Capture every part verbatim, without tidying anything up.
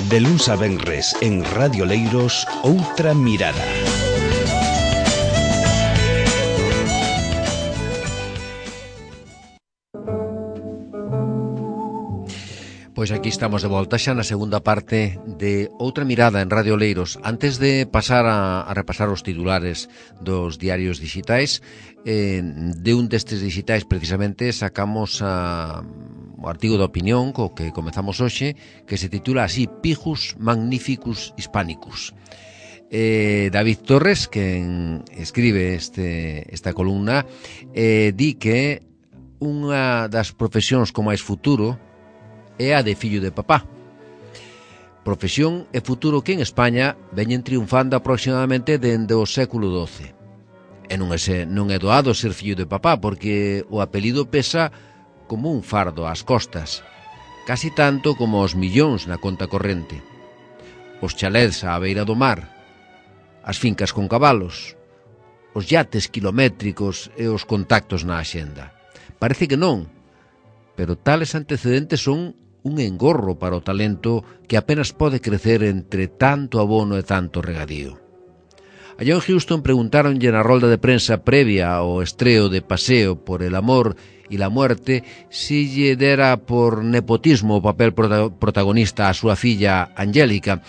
De luns a venres en Radio Leiros, Outra Mirada. Pois aquí estamos de volta xa na segunda parte de Outra Mirada en Radio Leiros. Antes de pasar a, a repasar os titulares dos diarios digitais, eh, de un destes digitais precisamente sacamos a, o artigo de opinión co que comezamos hoxe, que se titula así: Pijus Magnificus Hispanicus. Eh, David Torres, que escribe este, esta columna, eh, di que unha das profesións con máis futuro é a de fillo de papá. Profesión e futuro que en España veñen triunfando aproximadamente dende o século doce. E non é, non é doado ser fillo de papá, porque o apelido pesa como un fardo ás costas, casi tanto como os millóns na conta corrente. Os chalés á beira do mar, as fincas con cabalos, os yates kilométricos e os contactos na axenda. Parece que non, pero tales antecedentes son un engorro para o talento que apenas pode crecer entre tanto abono e tanto regadío. A John Huston preguntaronlle na rolda de prensa previa ao estreo de Paseo por el amor e la muerte si lle dera por nepotismo o papel protagonista a súa filla Angélica,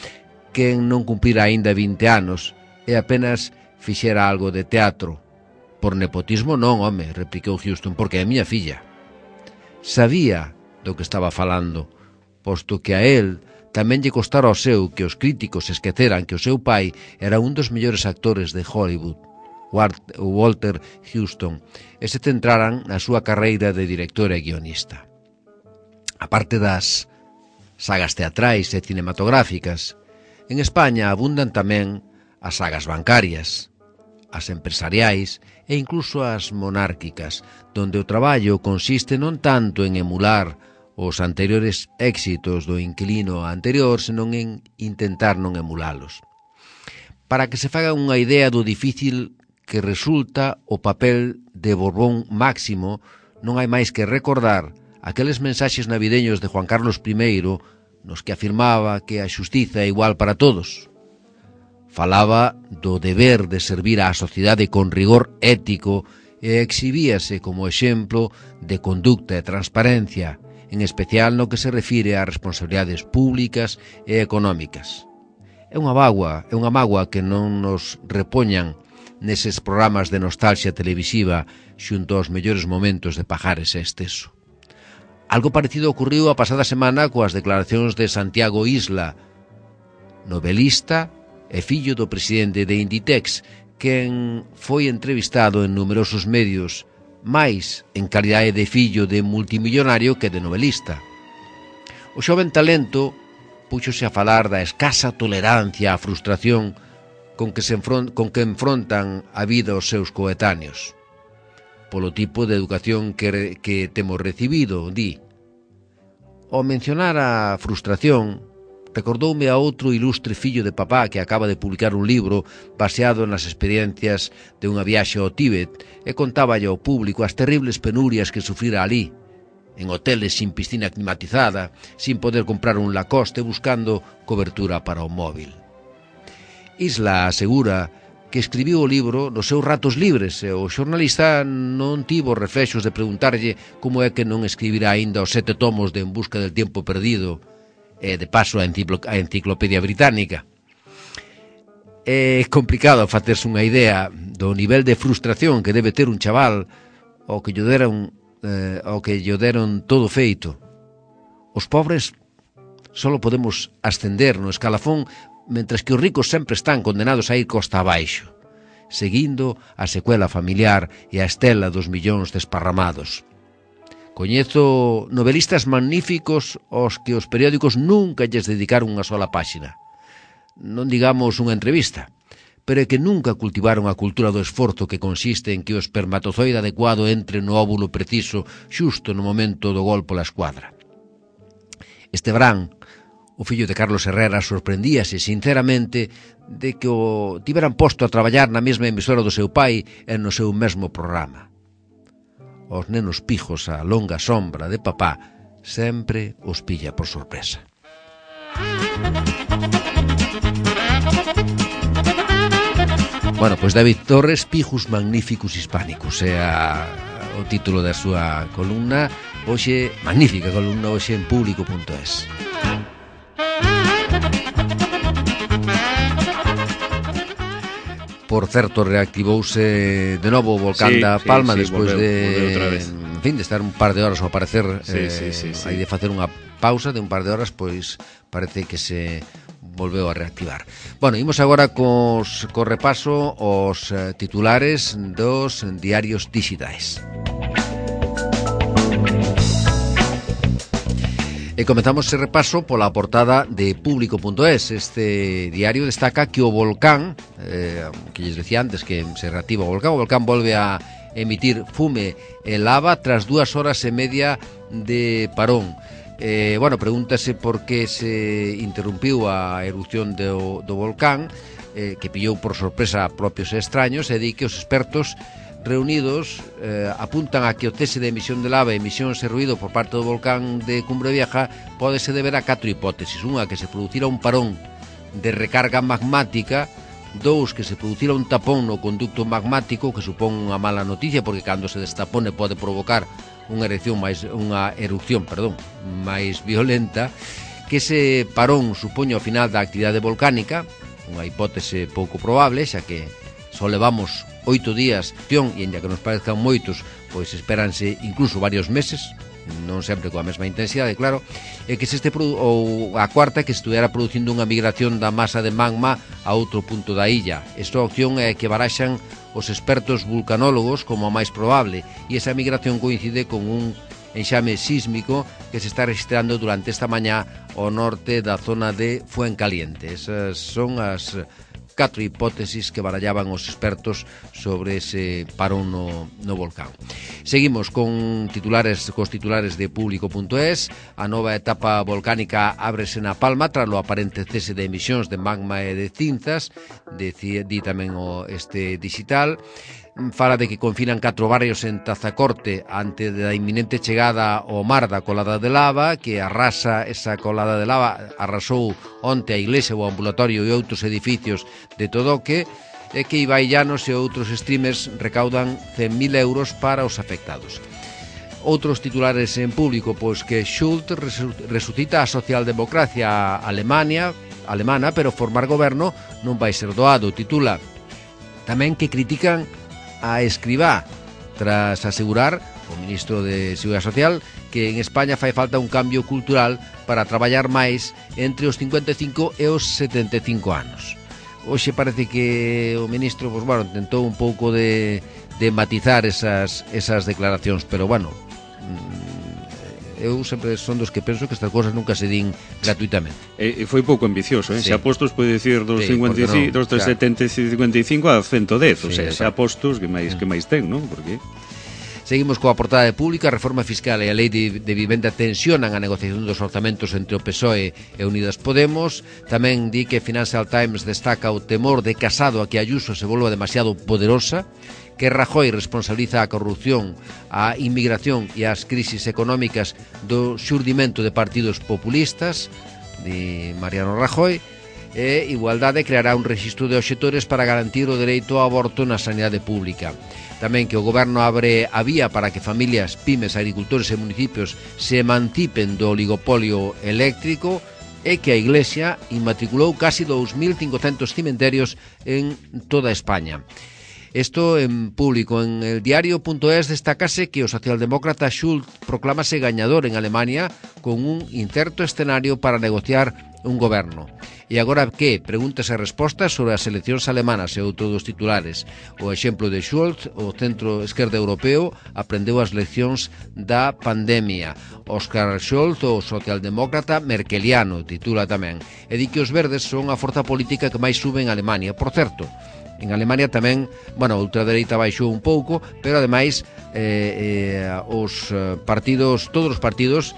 que non cumplira aínda vinte anos e apenas fixera algo de teatro. Por nepotismo non, home, replicou Huston, porque é miña filla. Sabía do que estaba falando, posto que a él tamén lle costara ao seu que os críticos esqueceran que o seu pai era un dos mellores actores de Hollywood, Walter Huston, e se centraran na súa carreira de director e guionista. A parte das sagas teatrais e cinematográficas, en España abundan tamén as sagas bancarias, as empresariais e incluso as monárquicas, donde o traballo consiste non tanto en emular os anteriores éxitos do inquilino anterior, senón en intentar non emulalos. Para que se faga unha idea do difícil que resulta o papel de Borbón Máximo, non hai máis que recordar aqueles mensaxes navideños de Juan Carlos primeiro nos que afirmaba que a xustiza é igual para todos. Falaba do deber de servir á sociedade con rigor ético e exhibíase como exemplo de conducta e transparencia, en especial no que se refire a responsabilidades públicas e económicas. É unha mágoa, é unha mágoa que non nos repoñan neses programas de nostalgia televisiva xunto aos mellores momentos de Pajares e Esteso. Algo parecido ocurriu a pasada semana coas declaracións de Santiago Isla, novelista e fillo do presidente de Inditex, quen foi entrevistado en numerosos medios, máis en calidade de fillo de multimillonario que de novelista. O xoven talento púxose a falar da escasa tolerancia á frustración con que, se enfront, con que enfrontan a vida os seus coetáneos. Polo tipo de educación que, que temos recibido, di. Ao mencionar a frustración, recordoume a outro ilustre fillo de papá que acaba de publicar un libro baseado nas experiencias de unha viaxe ao Tíbet e contáballe ao público as terribles penurias que sufrira ali, en hoteles sin piscina climatizada, sin poder comprar un Lacoste buscando cobertura para o móvil. Isla asegura que escribiu o libro nos seus ratos libres e o xornalista non tivo reflexos de preguntarlle como é que non escribirá aínda os sete tomos de En busca del tiempo perdido, e de paso a enciclopedia británica. É complicado facerse unha idea do nivel de frustración que debe ter un chaval ao que lle deron, eh, ao que lle deron todo feito. Os pobres só podemos ascender no escalafón, mentres que os ricos sempre están condenados a ir costa abaixo, seguindo a secuela familiar e a estela dos millóns desparramados. Coñezo novelistas magníficos aos que os periódicos nunca lles dedicaron unha sola páxina. Non digamos unha entrevista, pero é que nunca cultivaron a cultura do esforzo que consiste en que o espermatozoide adecuado entre no óvulo preciso xusto no momento do gol pola escuadra. Este verán, o fillo de Carlos Herrera sorprendíase sinceramente de que o tiveran posto a traballar na mesma emisora do seu pai e no seu mesmo programa. Os nenos pijos a longa sombra de papá sempre os pilla por sorpresa. Bueno, pois David Torres, Pijus Magnificus Hispánicus, é a, o título da súa columna. Hoxe, magnífica columna, hoxe en público punto es. Por certo, reactivouse de novo o volcán sí, da Palma sí, sí, despois volveu, de volveu en fin, de estar un par de horas ao parecer sí, eh, sí, sí, sí. Hai de facer unha pausa de un par de horas, pois parece que se volveu a reactivar. Bueno, imos agora cos, co repaso os eh, titulares dos diarios digitais. E comezamos ese repaso pola portada de público punto es. Este diario destaca que o volcán, eh, que lles decía antes que se reactiva o volcán, o volcán volve a emitir fume e lava tras dúas horas e media de parón. Eh, bueno, pregúntase por que se interrumpiu a erupción do, do volcán, eh, que pillou por sorpresa a propios e extraños, e di que os expertos reunidos eh, apuntan a que o cese de emisión de lava e emisións e ruído por parte do volcán de Cumbre Vieja pódese deber a catro hipótesis. Unha, que se producira un parón de recarga magmática. Dous, que se producira un tapón no conducto magmático, que supón unha mala noticia, porque cando se destapone pode provocar unha erupción máis unha erupción, perdón, máis violenta, que ese parón supoña o final da actividade volcánica, unha hipótese pouco probable, xa que só levamos oito días de acción, e ainda que nos parezcan moitos, pois espéranse incluso varios meses, non sempre coa mesma intensidade, claro, e que se este produ- ou a cuarta, que se estuviera producindo unha migración da masa de magma a outro punto da illa. Esta opción é que baraxan os expertos vulcanólogos como a máis probable, e esa migración coincide con un enxame sísmico que se está registrando durante esta mañá ao norte da zona de Fuencaliente. Esas son as catro hipótesis que barallaban os expertos sobre ese parón no, no volcán. Seguimos con titulares cos titulares de público punto es. A nova etapa volcánica ábrese na Palma tras o aparente cese de emisións de magma e de cinzas, di tamén o este digital. Fala de que confinan catro barrios en Tazacorte ante da inminente chegada ao mar da colada de lava, que arrasa esa colada de lava, arrasou onte a iglesia, o ambulatorio e outros edificios de Todoque, e que Ibai Llanos e outros streamers recaudan cen mil euros para os afectados. Outros titulares en público, pois que Schulz resucita a socialdemocracia Alemania, alemana, pero formar goberno non vai ser doado. Titula tamén que critican a Escrivá tras asegurar o ministro de Seguridade Social que en España fai falta un cambio cultural para traballar máis entre os cincuenta e cinco e os setenta e cinco anos. Hoxe parece que o ministro, pues, bueno, tentou un pouco de, de matizar esas, esas declaracións, pero bueno, eu sempre son dos que penso que estas cousas nunca se din gratuitamente. E, e foi pouco ambicioso, eh? Sí. Se apostos pode dicir dos, sí, cincuenta e cinco, no, dos claro. setenta e cincuenta e cinco a ciento dez, sí, o sea, se apostos que máis, que máis ten, non? Porque seguimos coa portada de Pública. A reforma fiscal e a lei de, de vivenda tensionan a negociación dos orzamentos entre o P S O E e Unidas Podemos. Tamén di que Financial Times destaca o temor de Casado a que Ayuso se volva demasiado poderosa, que Rajoy responsabiliza a corrupción, a inmigración e as crisis económicas do xurdimento de partidos populistas, de Mariano Rajoy, e Igualdade creará un rexistro de obxectores para garantir o dereito ao aborto na sanidade pública. Tamén que o goberno abre a vía para que familias, pymes, agricultores e municipios se emancipen do oligopolio eléctrico, e que a Iglesia inmatriculou casi dous mil cincocentos cementerios en toda España. Esto en público. En el diario punto es destacase que o socialdemócrata Schulz proclámase gañador en Alemania con un incerto escenario para negociar un goberno. E agora que? Preguntas e respostas sobre as eleccións alemanas e outro dos titulares. O exemplo de Schulz, o centro esquerda europeo, aprendeu as leccións da pandemia. Oscar Scholz, o socialdemócrata merkeliano, titula tamén. E di que os verdes son a forza política que máis sube en Alemania. Por certo, en Alemania tamén, bueno, a ultradereita baixou un pouco, pero ademais eh, eh, os partidos, todos os partidos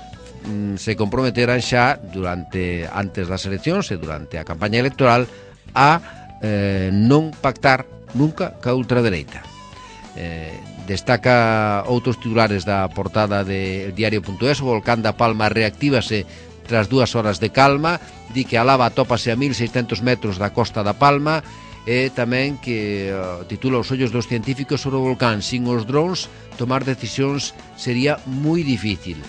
mm, se comprometeran xa durante antes das eleccións e durante a campaña electoral a eh, non pactar nunca ca ultradereita. Eh, destaca outros titulares da portada de diario punto es. O volcán da Palma reactívase tras dúas horas de calma. di que a lava atópase a mil seiscentos metros da costa da Palma, e tamén que uh, titula Os ollos dos científicos sobre o volcán. Sin os drones, tomar decisións sería moi difícil.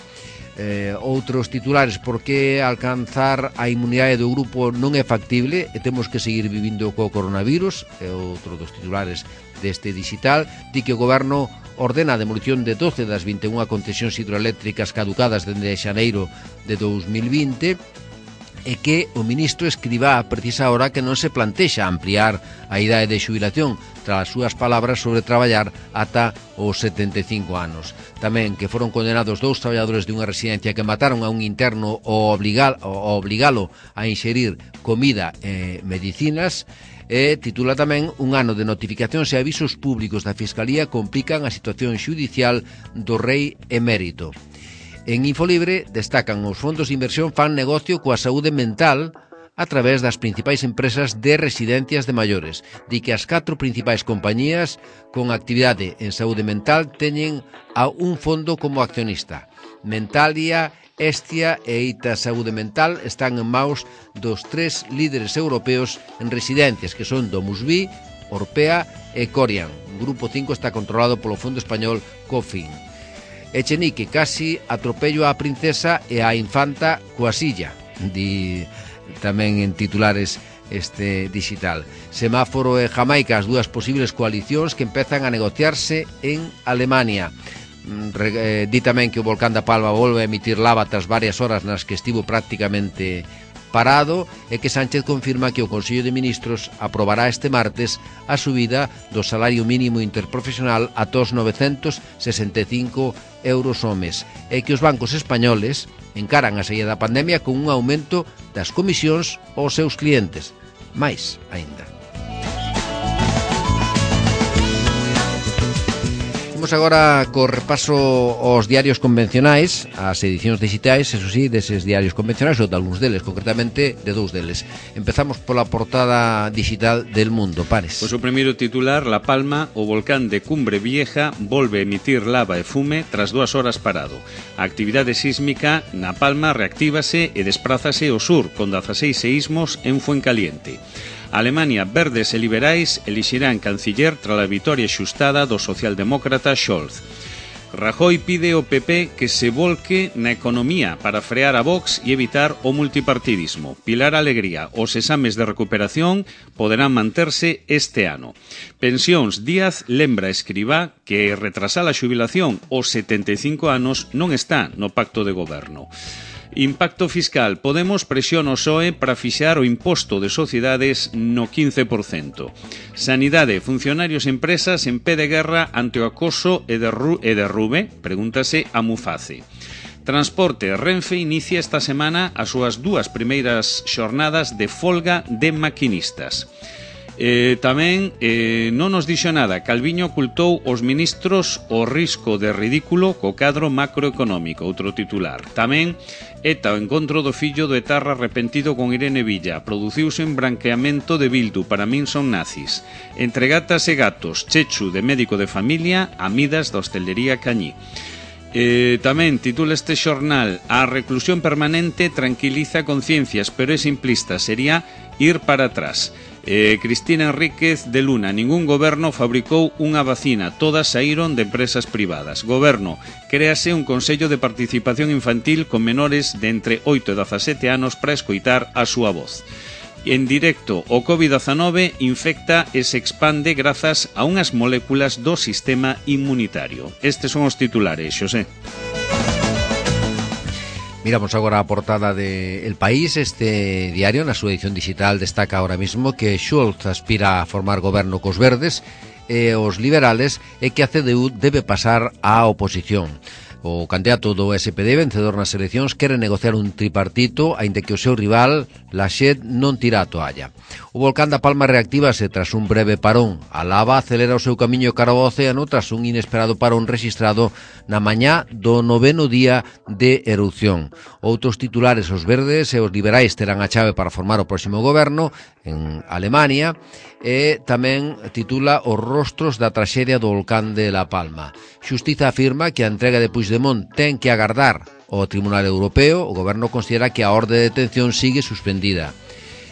Eh, outros titulares: por que alcanzar a inmunidade do grupo non é factible e temos que seguir vivindo co coronavirus. É outro dos titulares deste digital. Di que o goberno ordena a demolición de doce das vinte e unha concesións hidroeléctricas caducadas dende xaneiro de dous mil vinte, e que o ministro Escrivá precisa ahora que non se plantexa ampliar a idade de xubilación, tras as súas palabras sobre traballar ata os setenta e cinco anos. Tamén que foron condenados dous traballadores de unha residencia que mataron a un interno ao obligalo a inxerir comida e medicinas. E titula tamén: un ano de notificacións e avisos públicos da Fiscalía complican a situación xudicial do rei emérito. En Infolibre destacan: os fondos de inversión fan negocio coa saúde mental a través das principais empresas de residencias de maiores. Di que as catro principais compañías con actividade en saúde mental teñen a un fondo como accionista. Mentalia, Estia e Ita Saúde Mental están en maus dos tres líderes europeos en residencias, que son DomusVi, Orpea e Corian. O grupo cinco está controlado polo fondo español Cofin. Echenique: casi atropello á princesa e á infanta coa silla, di tamén en titulares este digital. Semáforo e Jamaica, as dúas posibles coalicións que empezan a negociarse en Alemania. Re, eh, di tamén que o volcán da Palma volve a emitir lava tras varias horas nas que estivo prácticamente parado, e que Sánchez confirma que o Consello de Ministros aprobará este martes a subida do salario mínimo interprofesional a tos novecentos sesenta e cinco euros ao mes, e que os bancos españoles encaran a saída da pandemia con un aumento das comisións aos seus clientes. Mais aínda. Vamos agora co repaso aos diarios convencionais, as edicións digitais, eso sí, deses diarios convencionais, ou de algúns deles, concretamente de dous deles. Empezamos pola portada digital del Mundo, Pares. Pois o primeiro titular: La Palma, o volcán de Cumbre Vieja volve a emitir lava e fume tras dúas horas parado. A actividade sísmica na Palma reactívase e desprázase ao sur, con dezaseis seísmos en Fuencaliente. Alemania, verdes e liberais elixirán canciller tras a vitoria xustada do socialdemócrata Scholz. Rajoy pide ao P P que se volque na economía para frear a Vox e evitar o multipartidismo. Pilar Alegría: os exames de recuperación poderán manterse este ano. Pensións: Díaz lembra a Escrivá que retrasar a xubilación aos setenta e cinco anos non está no pacto de goberno. Impacto fiscal: Podemos presiona o P S O E para fixar o imposto de sociedades no quince por cento. Sanidade: funcionarios e empresas en pé de guerra ante o acoso e derrube, pregúntase a Muface. Transporte: Renfe inicia esta semana as súas dúas primeiras xornadas de folga de maquinistas. Eh, tamén eh, non nos dixo nada. Calviño ocultou aos ministros o risco de ridículo co cadro macroeconómico. Outro titular. Tamén ETA o encontro do fillo do etarra arrepentido con Irene Villa. Produciuse un branqueamento de Bildu, para min son nazis. Entre gatas e gatos, Chechu de médico de familia, amidas da hostelería Cañí. Eh, tamén titula este xornal: a reclusión permanente tranquiliza conciencias, pero é simplista, sería ir para atrás. Eh, Cristina Enríquez de Luna: ningún goberno fabricou unha vacina, todas saíron de empresas privadas. Goberno: créase un consello de participación infantil con menores de entre oito e dezasete anos para escoitar a súa voz. En directo: o covid dezanove infecta e se expande grazas a unhas moléculas do sistema inmunitario. Estes son os titulares, Xosé. Miramos agora a portada de El País. Este diario, na súa edición digital, destaca ahora mismo que Scholz aspira a formar goberno cos verdes e os liberales, e que a C D U debe pasar á oposición. O candidato do S P D, vencedor nas eleccións, quere negociar un tripartito, aínda que o seu rival, Laschet, non tira a toalla. O volcán da Palma reactívase tras un breve parón. A lava acelera o seu camiño cara ao océano tras un inesperado parón registrado na mañá do noveno día de erupción. Outros titulares: os verdes e os liberais terán a chave para formar o próximo goberno en Alemania, e tamén titula: os rostros da traxedia do volcán de La Palma. Xustiza afirma que a entrega de Puigdemont Puigdemont ten que agardar ao Tribunal Europeo, o Goberno considera que a orde de detención sigue suspendida.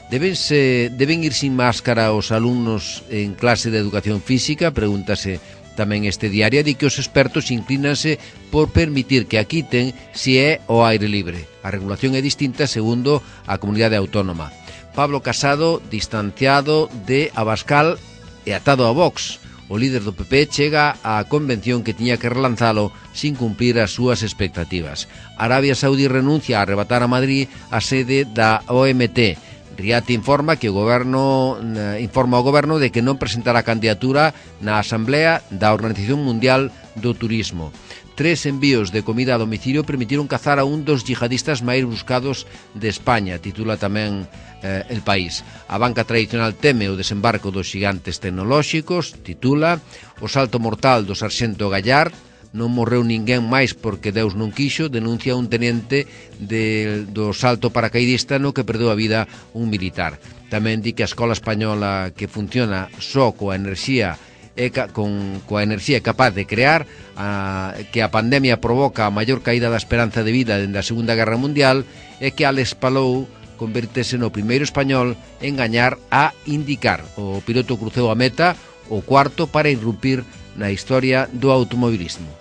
Debense, deben ir sin máscara os alumnos en clase de educación física, pregúntase tamén este diario, di que os expertos inclínanse por permitir que a quiten se é ao aire libre. A regulación é distinta segundo a comunidade autónoma. Pablo Casado, distanciado de Abascal e atado a Vox. O líder do P P chega á convención que tiña que relanzalo sin cumplir as súas expectativas. Arabia Saudí renuncia a arrebatar a Madrid a sede da O M T. Riati informa que o goberno informa ao goberno de que non presentará candidatura na Asamblea da Organización Mundial do Turismo. Tres envíos de comida a domicilio permitiron cazar a un dos yihadistas máis buscados de España, titula tamén eh, El País. A banca tradicional teme o desembarco dos xigantes tecnolóxicos, titula. O salto mortal do sarxento Gallard, non morreu ninguén máis porque Deus non quixo, denuncia un tenente de, do salto paracaidista no que perdeu a vida un militar. Tamén di que a escola española que funciona só coa enerxía e ca, con, coa enerxía capaz de crear, a, que a pandemia provoca a maior caída da esperanza de vida dende a Segunda Guerra Mundial e que Alex Palou convertese no primeiro español en gañar a indicar. O piloto cruceu a meta, o cuarto para irrumpir na historia do automobilismo.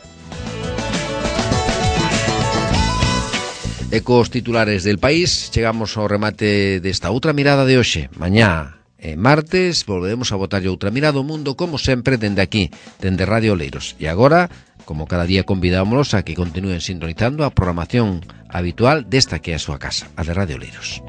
E cos titulares del País chegamos ao remate desta outra mirada de hoxe. Mañá, e martes, volveremos a botarlle outra mirada ao mundo, como sempre, dende aquí, dende Radio Oleiros. E agora, como cada día, convidámonos a que continúen sintonizando a programación habitual desta que é a súa casa, a de Radio Oleiros.